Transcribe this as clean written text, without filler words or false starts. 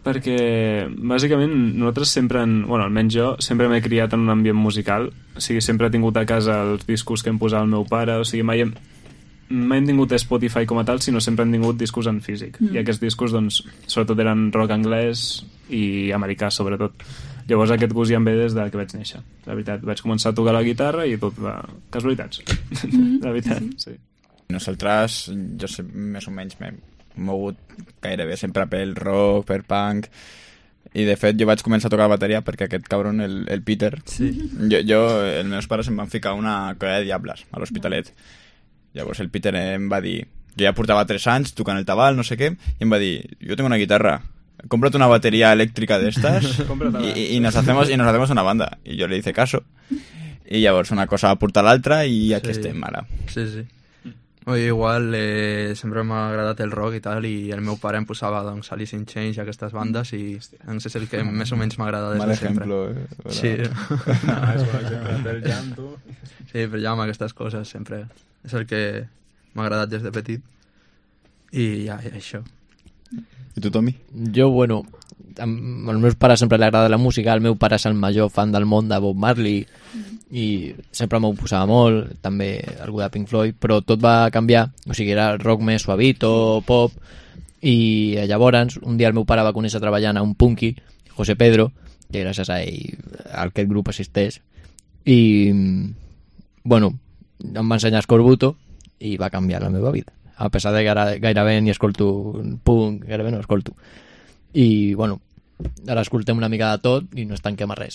perquè bàsicament nosaltres sempre, almenys jo, sempre m'he criat en un ambient musical, o sigui, sempre he tingut a casa els discos que em posava el meu pare, o sigui, mai hem tingut Spotify com a tal, sinó sempre hem tingut discos en físic, i aquests discos, doncs, sobretot eren rock anglès i americà, sobretot. Llavors aquest gust ja em ve des de que vaig néixer, la veritat. Vaig començar a tocar la guitarra i tot va... casualitats, la veritat, sí. Nosaltres, jo sé, més o menys m'he mogut gairebé sempre pel rock, per punk, i de fet jo vaig començar a tocar la bateria perquè aquest cabron, el Peter, sí. els meus pares em van ficar una colla de diables a l'Hospitalet. Llavors el Peter em va dir, jo ja portava 3 anys tocant el tabal, no sé què, i em va dir, jo tengo una guitarra, cómprate una batería eléctrica de estas y nos hacemos una banda. Y yo le hice caso. Y llavors una cosa va portar l'altra i aquí estem ara. Sí, sí. Oye, igual sempre m'ha agradat el rock i tal, i el meu pare em posava doncs, Alice in Chains i aquestes bandes, i doncs, és el que més o menys m'agrada des de sempre. Mal ejemplo, Sí. Del llanto. Sí, per Jam, aquestes coses sempre és el que m'ha agradat des de petit. I ja, això. I tu, Tommy? Jo, bueno, als meus pares sempre li agrada la música, el meu pare és el major fan del món de Bob Marley i sempre m'ho posava molt, també algú de Pink Floyd, però tot va canviar, o sigui, era rock més suavito, pop, i llavors un dia el meu pare va conèixer treballant a un punky, José Pedro, que gràcies a ell aquest grup assisteix, i bueno, em va ensenyar Scorbuto i va canviar la meva vida. A pesar de que ara gairebé ni escolto punk, gairebé no escolto. I, bueno, ara escoltem una mica de tot i no es tanquem a res.